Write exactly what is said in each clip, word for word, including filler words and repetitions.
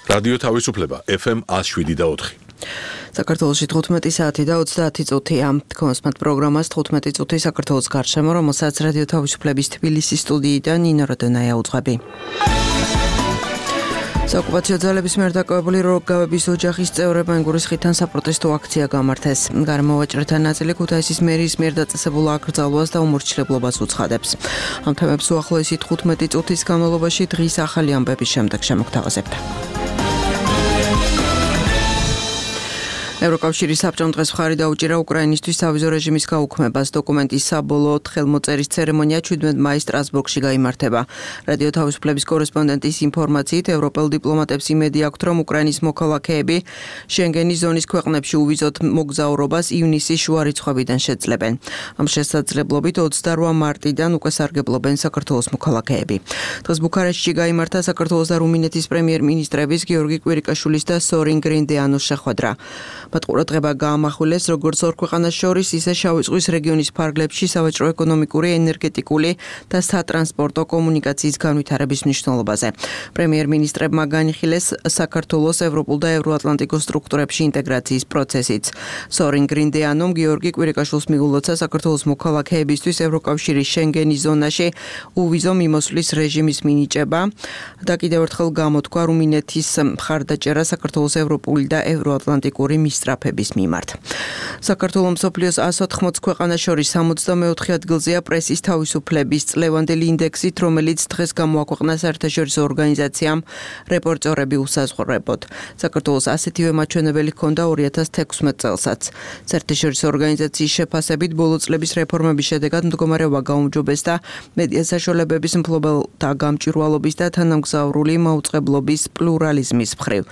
რადიო თავისუფლება ეფ ემ one oh seven და four. საქართველოში თხუთმეტი საათი და ოცდაათი წუთია. Თქვენს პროგრამას თხუთმეტი წუთი საქართველოს გარშემო, რომელსაც რადიო თავისუფლების თბილისის სტუდიიდან ნინო როდონაია უძღვები. საოკუპაციო ძალების მიერ დაკავებული როგავების ოჯახის წევრებმა გურისხიდან საპროტესტო აქცია გამართეს. გარემოვაჭრეთა ნაწილი ქუთაისის მერის მიერ დაწესებულ აკრძალვას და უმორჩილებლობას უცხადებს. ამ თემებს უახლოესი თხუთმეტი წუთის განმავლობაში დღის ახალი ამბების შემდეგ შემოგთავაზებთ. ევროკავშირის საბჭომ დღეს მხარი დაუჭირა უკრაინისთვის სავიზო რეჟიმის გაუქმებას. დოკუმენტის საბოლოოდ ხელმოწერის ცერემონია შვიდმეტი მაის სტრასბურგში გაიმართება. რადიო თავისუფლების კორესპონდენტის ინფორმაციით, ევროპელ დიპლომატებს იმედი აქვთ, რომ უკრაინის მოქალაქეები შენგენის ზონის ქვეყნებში უვიზოთ მოგზაურობას ივნისის შუა რიცხვებიდან შეძლებენ. ამ შესაძლებლობით ოცდაოთხ მარტიდან უკვე სარგებლობენ საქართველოს მოქალაქეები. დღეს ბუქარესტში გაიმართა საქართველოს და რუმინეთის პრემიერ-მინისტრების გიორგი კვირიკაშვილის და სორინ გრინდეანოს შეხვედრა. მათ ყურადღება გაამახვილეს როგორც ორ ქვეყანას შორის, ისე შავი ზღვის რეგიონის ფარგლებში სავაჭრო-ეკონომიკური, ენერგეტიკული და სატრანსპორტო კომუნიკაციის განვითარების მნიშვნელობაზე. პრემიერ-მინისტრებმა განიხილეს საქართველოს ევროპულ და ევროატლანტიკურ სტრუქტურებში ინტეგრაციის პროცესიც. სორინ გრინდეანომ გიორგი კვირიკაშვილს მიულოცა საქართველოს მოქალაქეებისთვის ევროკავშირის შენგენის ზონაში უვიზო მიმოსვლის რეჟიმის მინიჭება და კიდევ ერთხელ გამოთქვა რუმინეთის მხარდაჭერა საქართველოს ევროპული და ევროატლანტიკური მისწრაფების მიმართ. საქართველოს მსოფლიოს one hundred eighty ქვეყანას შორის სამოცდამეოთხე ადგილზეა პრესის თავისუფლების წლევანდელი ინდექსით, რომელიც დღეს გამოაქვეყნა საერთაშორისო ორგანიზაციამ რეპორტერები უსაზღვრებოდ. საქართველოს ასეთივე მაჩვენებელი ჰქონდა two thousand sixteen წელსაც. საერთაშორისო ორგანიზაციის შეფასებით, ბოლო წლების რეფორმების შედეგად მდგომარეობა გაუმჯობესდა მედია საშუალებების მფლობელთა გამჭვირვალობის და თანამგზავრული მაუწყებლობის პლურალიზმის მხრივ.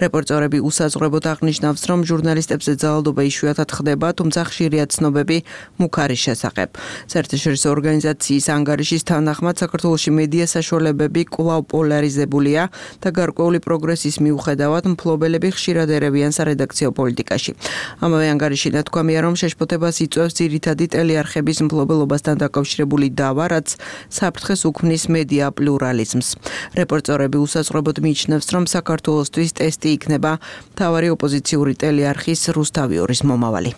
რეპორტერები უსაზღვრებოდ აღნიშნავს, რომ ჟურნალისტებზე ძალადობა იშვიათად ხდება, თუმცა ხშირია ცნობები მუქარის შესახებ. საერთაშორისო ორგანიზაციის ანგარიშის თანახმად, საქართველოში მედია საშუალებები კვლავ პოლარიზებულია და გარკვეული პროგრესის მიუხედავად, მფლობელები ხშირად ერევიან სარედაქციო პოლიტიკაში. ამავე ანგარიში ნათქვამია, რომ შეშფოთებას იწვევს ძირითადი ტელეარხების მფლობელობასთან დაკავშირებული დავა, რაც საფრთხეს უქმნის მედია პლურალიზმს. რეპორტერები უსაზღვრებოდ მიიჩნევს, რომ საქართველოსთვის ტესტი იქნება მთავარი ოპოზიციური ტელეარხის რუსთავიორის მომავალი.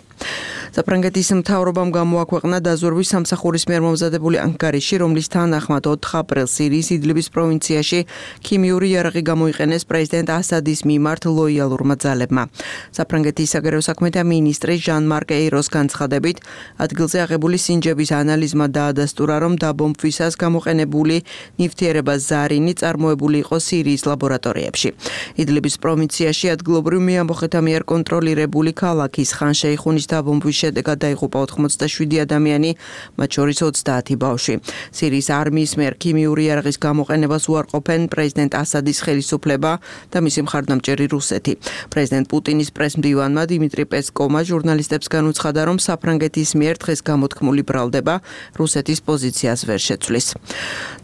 საფრანგეთის მთავრობამ გამოაქვეყნა დაზვერვის სამსახურის მიერ მომზადებული ანგარიში, რომლის თანახმად ოთხ აპრილს სირიის იდლიბის პროვინციაში ქიმიური იარაღი გამოიყენეს პრეზიდენტ ასადის მიმართ ლოიალურმა ძალებმა. საფრანგეთის საგარეო საქმეთა მინისტრი ჟან-მარკ ეიროს განცხადებით, ადგილზე აღებული სინჯების ანალიზმა დაადასტურა, რომ დაბომბვისას გამოყენებული ნივთიერება ზარინი წარმოებული იყო სირიის ლაბორატორიებში. იდლიბის პროვინციაში ადგილობრივ მეამბოხეთა მიერ კონტროლირებული ქალაქის ხან შეიხუნის დაბომბვის შედეგად დაიღუპა ოცდაშვიდი ადამიანი, მათ შორის ოცდაათი ბავშვი. სირიის არმიის მიერ ქიმიური იარაღის გამოყენებას უარყოფენ პრეზიდენტ ასადის ხელისუფლება და მისი მხარდამჭერი რუსეთი. პრეზიდენტ პუტინის პრესმდივანმა დიმიტრი პესკოვმა ჟურნალისტებს განუცხადა, რომ საფრანგეთის მიერ დღეს გამოთქმული ბრალდება რუსეთის პოზიციას ვერ შეცვლის.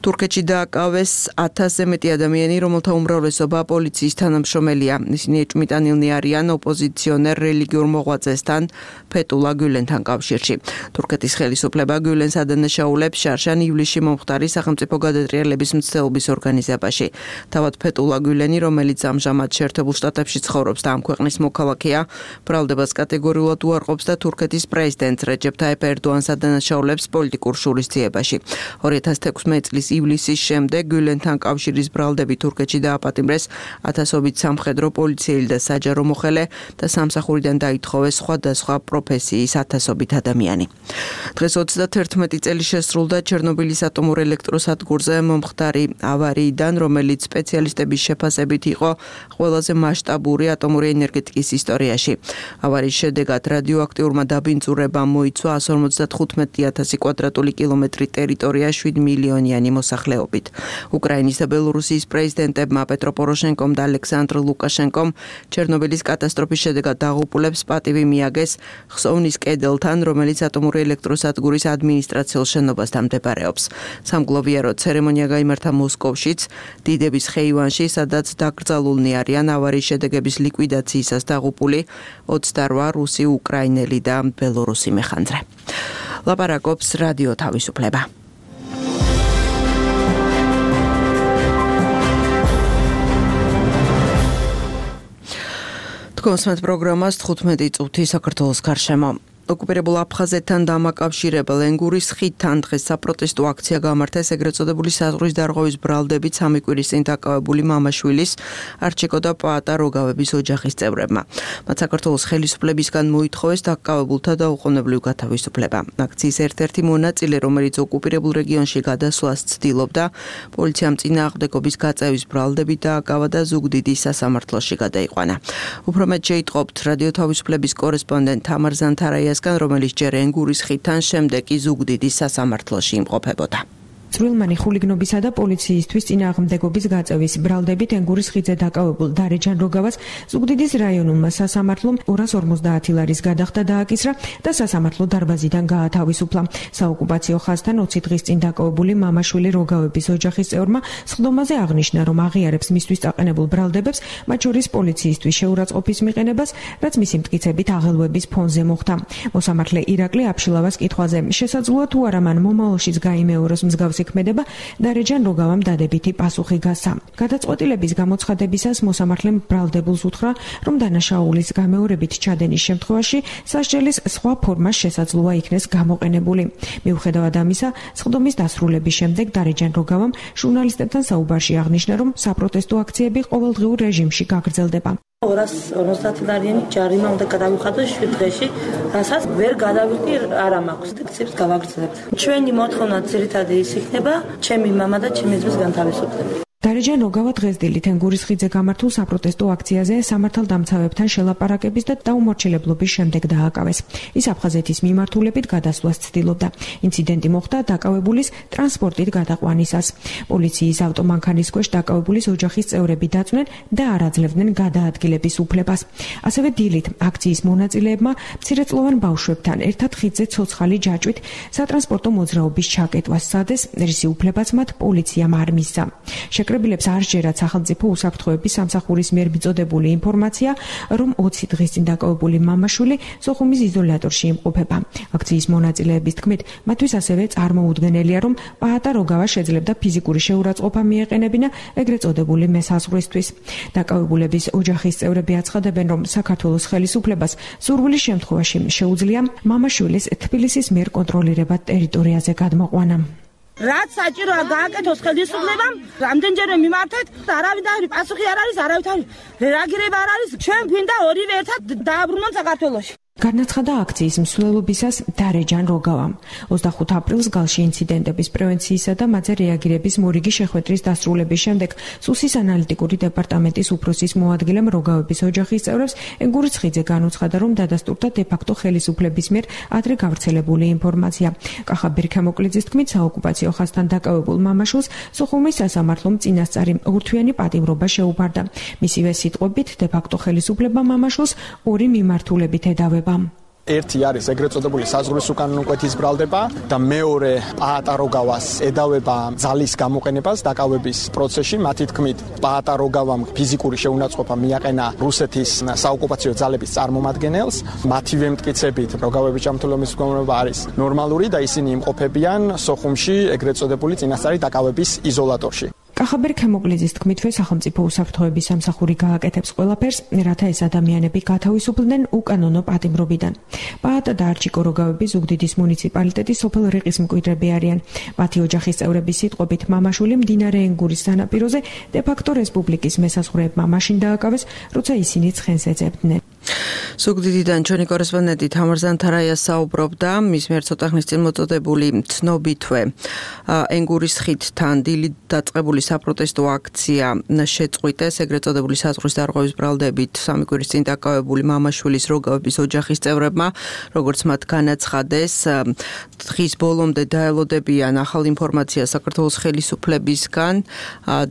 თურქეთში დააკავეს ათასზე მეტი ადამიანი, რომელთა უმრავლესობა პოლიციის თანამშრომელია. ისინი ეჭვმიტანილნი არიან ოპოზიციონერ რელიგიურ მოღვაწესთან ფეტულა გულენთან კავშირში. თურქეთის ხელისუფლება გულენს ადანაშაულებს შარშან ივლისში მომხდარი სახელმწიფო გადატრიალების მცდელობის ორგანიზებაში. თავად ფეტულა გულენი, რომელიც ამჟამად შეერთებულ შტატებში ცხოვრობს და ამ ქვეყნის მოქალაქეა, ბრალდებას კატეგორიულად უარყოფს და თურქეთის პრეზიდენტ რეჯეპ ტაიპ ერდოანს ადანაშაულებს პოლიტიკურ შურისძიებაში. ორი ათას თექვსმეტი წლის ივლისის შემდეგ გულენთან კავშირის ბრალდები თურქეთში დააპატიმრეს ათასობით სამხედრო პოლიციელი და საჯარო მოხელე და სამსახურიდან დაითხოვეს სხვადასხვა პროფესიის ათასობით ადამიანი. დღეს ოცდაათერთმეტი წელი შესრულდა ჩერნობილის ატომურ ელექტროსადგურზე მომხდარი ავარიიდან, რომელიც სპეციალისტების შეფასებით იყო ყველაზე მასშტაბური ატომური ენერგეტიკის ისტორიაში. ავარიის შედეგად რადიოაქტიურმა დაბინძურებამ მოიცვა one hundred fifty-five thousand კვადრატული კილომეტრი ტერიტორია შვიდ მილიონიანი მოსახლეობით. უკრაინის და ბელორუსიის პრეზიდენტებმა პეტრო პოროშენკომ და ალექსანდრ ლუკაშენკომ ჩერნობილის კატასტროფის შედეგად დაღუპულებს პატივი მიაგეს ხსოვნის კედელთან, რომელიც ატომური ელექტროსადგურის ადმინისტრაციულ შენობასთან მდებარეობს. სამგლოვიარო ცერემონია გაიმართა მოსკოვშიც, დიდების ხეივანში, სადაც დაკრძალულნი არიან ავარიის შედეგების ლიკვიდაციისას დაღუპული ოცდაოთხ რუსი, უკრაინელი და ბელორუსი მეხანძრე. ლაპარაკობს რადიო თავისუფლება. თქვენს პროგრამას თხუთმეტი წუთი საქართველოს გარშემო. ოკუპირებულ აფხაზეთთან დამაკავშირებელ ენგურის ხიდთან დღეს საპროტესტო აქცია გამართეს ეგრეთ წოდებული საზღვრის დარღვევის ბრალდებით სამი კვირის წინ დაკავებული მამაშვილის არჩიკო და პაატა როგავების ოჯახის წევრებმა. მათ საქართველოს ხელისუფლებისგან მოითხოვეს დაკავებულთა დაუყოვნებლივ გათავისუფლება. აქციის ერთ-ერთი მონაწილე, რომელიც ოკუპირებულ რეგიონში გადასვლას ცდილობდა, პოლიციამ წინააღმდეგობის გაწევის ბრალდებით დააკავა და ზუგდიდის სასამართლოში გადაიყვანა. უფრო მეტ შეიტყობთ რადიო თავისუფლების კორესპონდენტ თამარ ზანთარაია, რომელიც ჯერ ენგურის ხიდთან, შემდეგ კი ზუგდიდის სასამართლოში იმყოფებოდა. წვრილმანი ხულიგნობისა და პოლიციისთვის წინააღმდეგობის გაწევის ბრალდებით ენგურის ხიდზე დაკავებულ დარეჯან როგავას ზუგდიდის რაიონულმა სასამართლომ ორას ორმოცდაათი ლარის გადახდა დააკისრა და სასამართლო დარბაზიდან გაათავისუფლა. საოკუპაციო ხაზთან ოცი დღის წინ დაკავებული მამაშვილი როგავების ოჯახის წევრმა სხდომაზე აღნიშნა, რომ აღიარებს მისთვის დაყენებულ ბრალდებებს, მათ შორის პოლიციისთვის შეურაცხყოფის მიყენებას, რაც მისი მტკიცებით აღელვების ფონზე მოხდა. მოსამართლე ირაკლი აფშილავას კითხვაზე, შესაძლოა თუ არა მან მომავალშიც გაიმეოროს მსგავსი ქმედება, დარეჯან როგავამ დადებითი პასუხი გასცა. გადაწყვეტილების გამოცხადებისას მოსამართლემ ბრალდებულს უთხრა, რომ დანაშაულის გამეორებით ჩადენის შემთხვევაში სასჯელის სხვა ფორმა შესაძლოა იქნეს გამოყენებული. მიუხედავად ამისა, სხდომის დასრულების შემდეგ დარეჯან როგავამ ჟურნალისტებთან საუბარში აღნიშნა, რომ საპროტესტო აქციები ყოველდღიურ რეჟიმში გაგრძელდება. ორას ორმოცდაათი ლარიანი ჯარიმა უნდა გადავიხადოს შვიდ დღეში, რასაც ვერ გადავიხდი არა მაქვს. აქციებს გავაგრძელებთ. ჩვენი მოთხოვნა ძირითადად ის იქნება, ჩემი მამა და ჩემი ძმის განთავისუფლება. დარეჯან როგავა დღეს დილით ენგურის ხიდზე გამართულ საპროტესტო აქციაზე სამართალდამცავებთან შელაპარაკების და დაუმორჩილებლობის შემდეგ დააკავეს. ის აფხაზეთის მიმართულებით გადასვლას ცდილობდა. ინციდენტი მოხდა დაკავებულის ტრანსპორტით გადაყვანისას. პოლიციის ავტომანქანის ქვეშ დაკავებულის ოჯახის წევრები დაწვნენ და არ აძლევდნენ გადაადგილების უფლებას. ასევე დილით აქციის მონაწილეებმა მცირეწლოვან ბავშვებთან ერთად ხიდზე ცოცხალი ჯაჭვით სატრანსპორტო მოძრაობის ჩაკეტვას სცადეს, რისი უფლებაც მათ პოლიციამ არ მისცა. შეკრებილებს არ სჯერათ სახელმწიფო უსაფრთხოების სამსახურის მიერ მიწოდებული ინფორმაცია, რომ ოცი დღის წინ დაკავებული მამაშვილი სოხუმის იზოლატორში იმყოფება. აქციის მონაწილეების თქმით, მათთვის ასევე წარმოუდგენელია, რომ პაატა როგავა შეძლებდა ფიზიკური შეურაცხყოფა მიეყენებინა ეგრეთ წოდებული მესაზღვრისთვის. დაკავებულების ოჯახის წევრები აცხადებენ, რომ საქართველოს ხელისუფლებას სურვილის შემთხვევაში შეუძლია მამაშვილის თბილისის მიერ კონტროლირებად ტერიტორიაზე გადმოყვანა. რაც საჭიროა გააკეთოს ხელისუფლებამ, რამდენჯერმე მიმართეთ, არავინ და პასუხი არ არის, არავითარი რეაგირება არ არის. ჩვენ გვინდა ორივე ერთად დააბრუნონ საქართველოში. განაცხადა აქციის მსვლელობისას დარეჯან როგავამ. ოცდახუთი აპრილს გალში ინციდენტების პრევენციისა და მათზე რეაგირების მორიგი შეხვედრის დასრულების შემდეგ სუსის ანალიტიკური დეპარტამენტის უფროსის მოადგილემ როგავების ოჯახის წევრებს ენგურის ხიდზე განუცხადა, რომ დადასტურდა დე-ფაქტო ხელისუფლების მიერ ადრე გავრცელებული ინფორმაცია. კახა ბერქამოკლიძის თქმით, საოკუპაციო ხაზთან დაკავებულ მამაშვილს სოხუმის სასამართლომ წინასწარი ორთვიანი პატიმრობა შეუფარდა. მისივე სიტყვებით, დე-ფაქტო ხელისუფლება მამაშვილს ორი მიმართულებით ედავება. ერთი არის ეგრეთ წოდებული საზღვრის უკანონო კვეთის ბრალდება და მეორე პაატა როგავას ედავება ძალის გამოყენებას დაკავების პროცესში. მათი თქმით, პაატა როგავამ ფიზიკური შეუნაცხყოფა მიაყენა რუსეთის საოკუპაციო ძალების წარმომადგენელს. მათივე მტკიცებით, როგავების ჯანმრთელობის მდგომარეობა არის ნორმალური და ისინი იმყოფებიან სოხუმში ეგრეთ წოდებული წინასწარი დაკავების იზოლატორში. კახაბერ ქემოკლიძის თქმითვე სახელმწიფო უსაფრთხოების სამსახური გააკეთებს ყველაფერს, რათა ეს ადამიანები გათავისუფლდნენ უკანონო პატიმრობიდან. პაატა და არჩიკო როგავები ზუგდიდის მუნიციპალიტეტის სოფელ რიყის მკვიდრები არიან. მათი ოჯახის წევრების სიტყვებით, მამაშვილი მდინარე ენგურის სანაპიროზე დე-ფაქტო რესპუბლიკის მესაზღვრეებმა მაშინ დააკავეს, როცა ისინი ცხენს ეძებდნენ. ზუგდიდიდან ჩვენი კორესპონდენტი თამარ ზანთარაია საუბრობდა, მის მიერ ცოტა ხნის წინ მოწოდებული ცნობითვე ენგურის ხიდთან დილით დაწყებული საპროტესტო აქცია შეწყვიტეს ეგრეთ წოდებული საზღვრის დარღვევის ბრალდებით სამი კვირის წინ დაკავებული მამაშვილის როგავების ოჯახის წევრებმა, როგორც მათ განაცხადეს, დღის ბოლომდე დაელოდებიან ახალ ინფორმაციას საქართველოს ხელისუფლებისგან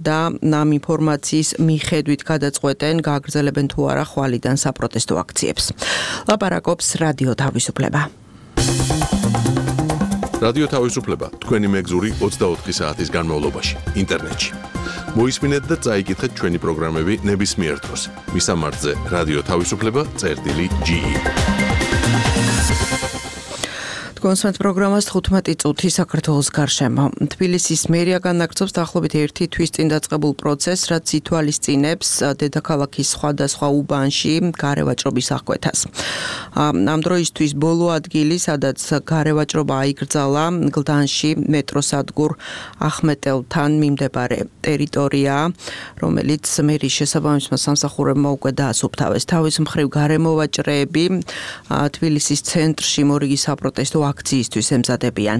და ამ ინფორმაციის მიხედვით გადაწყვეტენ, გააგრძელებენ თუ არა ხვალიდან საპროტესტო აქციებს. ლაპარაკობს რადიო თავისუფლება. რადიო თავისუფლება თქვენი მეგზური ოცდაოთხი საათის განმავლობაში ინტერნეტში. მოისმინეთ და წაიკითხეთ ჩვენი პროგრამები ნებისმიერ დროს. მისამართზე რადიო თავისუფლება წერტილი ჯი ი. კონსვენთ პროგრამას თხუთმეტი წუთი საქართველოს გარშემო. თბილისის მერია განაგრძობს დაახლოებით ერთი თვის წინ დაწყებულ პროცესს, რაც ითვალისწინებს დედაქალაქის სხვადასხვა უბანში გარევაჭრობის აღკვეთას. ამ დროისთვის ბოლო ადგილი, სადაც გარევაჭრობა აიგრძალა, გლდანში მეტროსადგურ ახმეტელთან მიმდებარე ტერიტორიაა, რომელიც მერიის შესაბამისმა სამსახურებმა უკვე დაასუფთავეს. თავის მხრივ გარემოვაჭრეები თბილისის ცენტრში მორიგი საპროტესტო აქციისთვის ემზადებიან.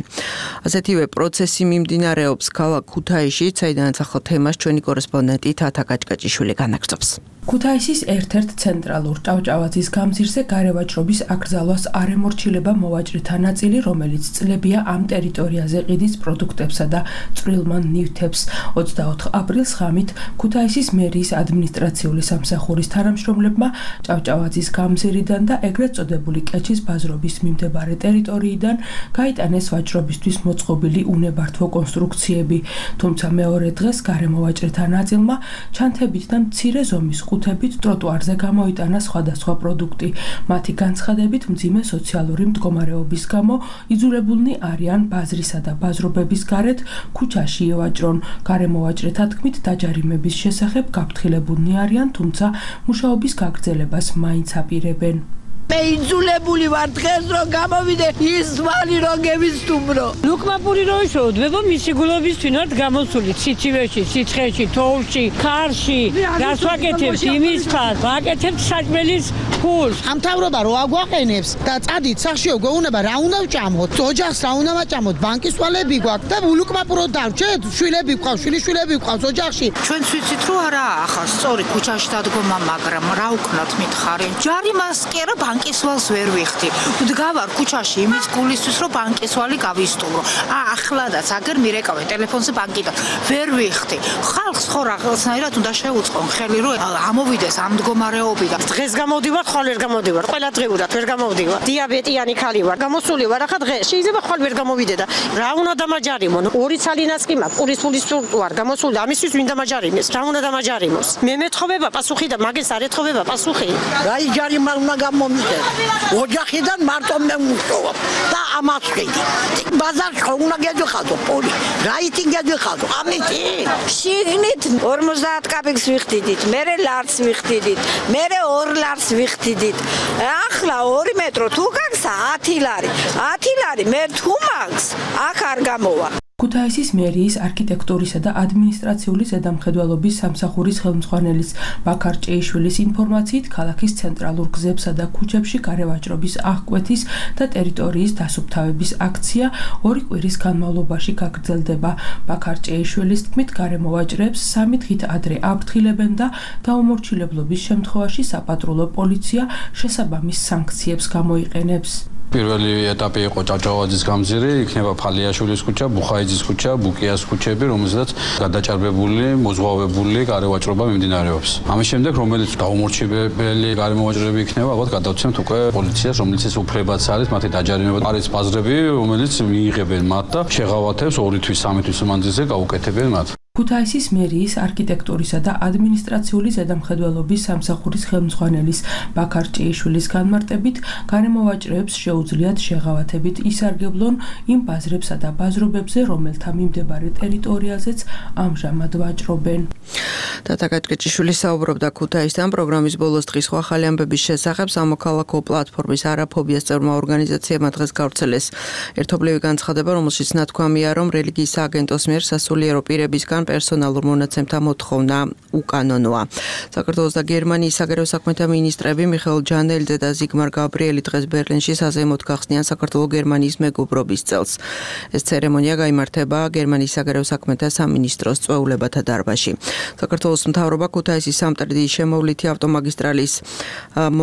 ასეთივე პროცესი მიმდინარეობს ქალაქ ქუთაისში, საიდანაც ახლა თემას ჩვენი კორესპონდენტი თათა კაჭკაჭიშვილი განაგრძობს. ქუთაისის ერთ-ერთ ცენტრალურ ჭავჭავაძის გამზირზე გარევაჭრობის აკრძალვას არ ემორჩილება მოვაჭრეთა ნაწილი, რომელიც წლებია ამ ტერიტორიაზე ყიდის პროდუქტებსა და წვრილმან ნივთებს. ოცდაოთხ აპრილს ღამით ქუთაისის მერიის ადმინისტრაციული სამსახურის თანამშრომლებმა ჭავჭავაძის გამზირიდან და ეგრეთ წოდებული კეჩის ბაზრობის მიმდებარე ტერიტორიიდან გაიტანეს ვაჭრობისთვის მოწყობილი უნებართვო კონსტრუქციები, თუმცა მეორე დღეს გარემოვაჭრეთა ნაწილმა ჩანთებით და მცირე ზომის ყუთებით ტროტუარზე გამოიტანა სხვადასხვა პროდუქტი. მათი განცხადებით, მძიმე სოციალური მდგომარეობის გამო იძულებულნი არიან ბაზრისა და ბაზრობების გარეთ ქუჩაში ევაჭრონ. გარემოვაჭრეთა თქმით, დაჯარიმების შესახებ გაფრთხილებულნი არიან, თუმცა მუშაობის გაგრძელებას მაინც აპირებენ. მე იძულებული ვარ დღეს რომ გამოვიდე ის ვალი რომ გევისტუმრო. ლუკმაპური რო ისო დებო მისი გულობის თვინად გამოსული ციცივეში, სიცხეში, თოვლში, ქარში, რას ვაკეთებთ იმის ფას, ვაკეთებთ საჭმელის ფულს. ამ თავრობა რო აგვაყენებს და წადით სახშიო გვეუბნება რა უნდა ვჭამოთ, ოჯახს რა უნდა ვაჭამოთ, ბანკის ვალები გვაქვს და ლუკმაპურო დავჭეთ, შვილები გვყავს, შვილიშვილები გვყავს ოჯახში. ჩვენც ვიცით რომ არაა ახლა სწორი ქუჩაში დადგომა, მაგრამ რა ვქნათ მითხარი. ჯარიმას კი არა ბანკის ვალს ვერ ვიხდი. ვდგავარ ქუჩაში იმის გულისთვის რომ ბანკის ვალი გავისტუმრო. ახლადაც აგერ მირეკავენ ტელეფონზე ბანკიდან. ვერ ვიხდი. ხალხს ხო რაღაცნაირად უნდა შეუწყონ ხელი რომ ამოვიდეს ამ მდგომარეობიდან. დღეს გამოვდივარ, ხვალ ვერ გამოვდივარ. ყველა დღეურად ვერ გამოვდივარ. დიაბეტიანი ხალი ვარ. გამოსული ვარ ახლა დღეს. შეიძლება ხვალ ვერ გამოვიდე და რა უნდა დამაჯარიმონ? ორი ცალინაც კი მაქვს. პურის ფულის ვარ გამოსული. ამისთვის ვინ დამაჯარიმეს? რა უნდა დამაჯარიმოს? მე მეთხოვება პასუხი და მაგეს არ ეთხოვება პასუხი. რაი ჯარიმა უნდა გამომიდე. ოჯახიდან მარტო მე მუშაობ და ამას ვქედი. ბაზარში უნდა გეძახადო პოლი. რაითი გეძახადო? ამითი. შიგნით ორმოცდაათ კაპიკს ვიხდიდით, მერე ლარს ვიხდიდით, მერე ორ ლარს ვიხდიდით. ახლა ორი მეტრო თუ გაქვს ათი ლარი. ათი ლარი მე თუ მაქვს, აქ არ გამოვა. ქუთაისის მერიის არქიტექტურისა და ადმინისტრაციული ზედამხედველობის სამსახურის ხელმძღვანელის ბაქარ ჭეიშვილის ინფორმაციით, ქალაქის ცენტრალურ გზებსა და ქუჩებში გარევაჭრობის აღკვეთის და ტერიტორიის დასუფთავების აქცია ორი კვირის განმავლობაში გაგრძელდება. ბაქარ ჭეიშვილის თქმით, გარემოვაჭრეებს სამი დღით ადრე აფრთხილებენ და დაუმორჩილებლობის შემთხვევაში საპატრულო პოლიცია შესაბამის სანქციებს გამოიყენებს. პირველი ეტაპი იყო ჭავჭავაძის გამზირი, იქნება ფალიაშვილის ქუჩა, ბუხაიძის ქუჩა, ბუკიას ქუჩები, რომელზედაც გადაჭარბებული, მოზღვავებული გარევაჭრობა მიმდინარეობს. ამის შემდეგ, რომელიც დაუმორჩილებელი გარემოვაჭრეები იქნება, ალბათ გადავცემთ უკვე პოლიციას, რომელიც ეს უფლებაც არის, მათი დაჯარიმება არის ბაზრები, რომელიც მიიღებენ მათ და შეღავათებს ორი თვის, სამი თვის მანძილზე გაუკეთებენ მათ. ქუთაისის მერიის არქიტექტურისა და ადმინისტრაციული ზედამხედველობის სამსახურის ხელმძღვანელის ბაქარ ჭეიშვილის განმარტებით, გარემოვაჭრეებს შეუძლიათ შეღავათებით ისარგებლონ იმ ბაზრებსა და ბაზრობებზე, რომელთა მიმდებარე ტერიტორიაზეც ამჟამად ვაჭრობენ. თათა კაჭკაჭიშვილი საუბრობდა ქუთაისთან პროგრამის ბოლოს დღის სხვა ახალი ამბების შესახებ. სამოქალაქო პლატფორმის არაფობიას წევრმა ორგანიზაციებმა დღეს გავრცელეს ერთობლივი განცხადება, რომელშიც ნათქვამია, რომ რელიგიის სააგენტოს მიერ სასულიერო პირებისგან პერსონალურ მონაცემთა მოთხოვნა უკანონოა. საქართველოს და გერმანიის საგარეო საქმეთა მინისტრები მიხეილ ჯანელიძე და ზიგმარ გაბრიელი დღეს ბერლინში საზეიმოდ გახსნიან საქართველო-გერმანიის მეგობრობის წელს. ეს ცერემონია გაიმართება გერმანიის საგარეო საქმეთა სამინისტროს წვეულებათა დარბაზში. საქართველოს მთავრობა ქუთაისის სამტრედიის შემოვლითი ავტომაგისტრალის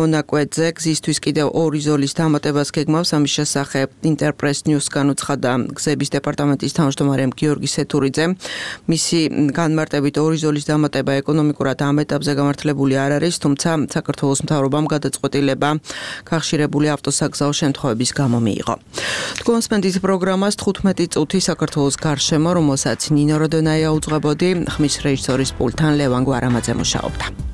მონაკვეთზე გზისთვის კიდევ ორი ზოლის დამატებას გეგმავს. ამის შესახებ ინტერპრეს ნიუსგან უცხადა გზების დეპარტამენტის თავმჯდომარე გიორგი სეთურიძე. მისი განმარტებით ორი ზოლის დამატება ეკონომიკურად ამ ეტაპზე გამართლებული არ არის, თუმცა საქართველოს მთავრობამ გადაწყვეტილება გახშირებული ავტოსაგზაო შემთხვევების გამო მიიღო. კონსპენდის პროგრამას თხუთმეტი წუთი საქართველოს გარშემო, რომელსაც ნინო როდონაია უძღვებოდი, ხმის რეჟისორის პულტთან ლევან გვარამაძე მუშაობდა.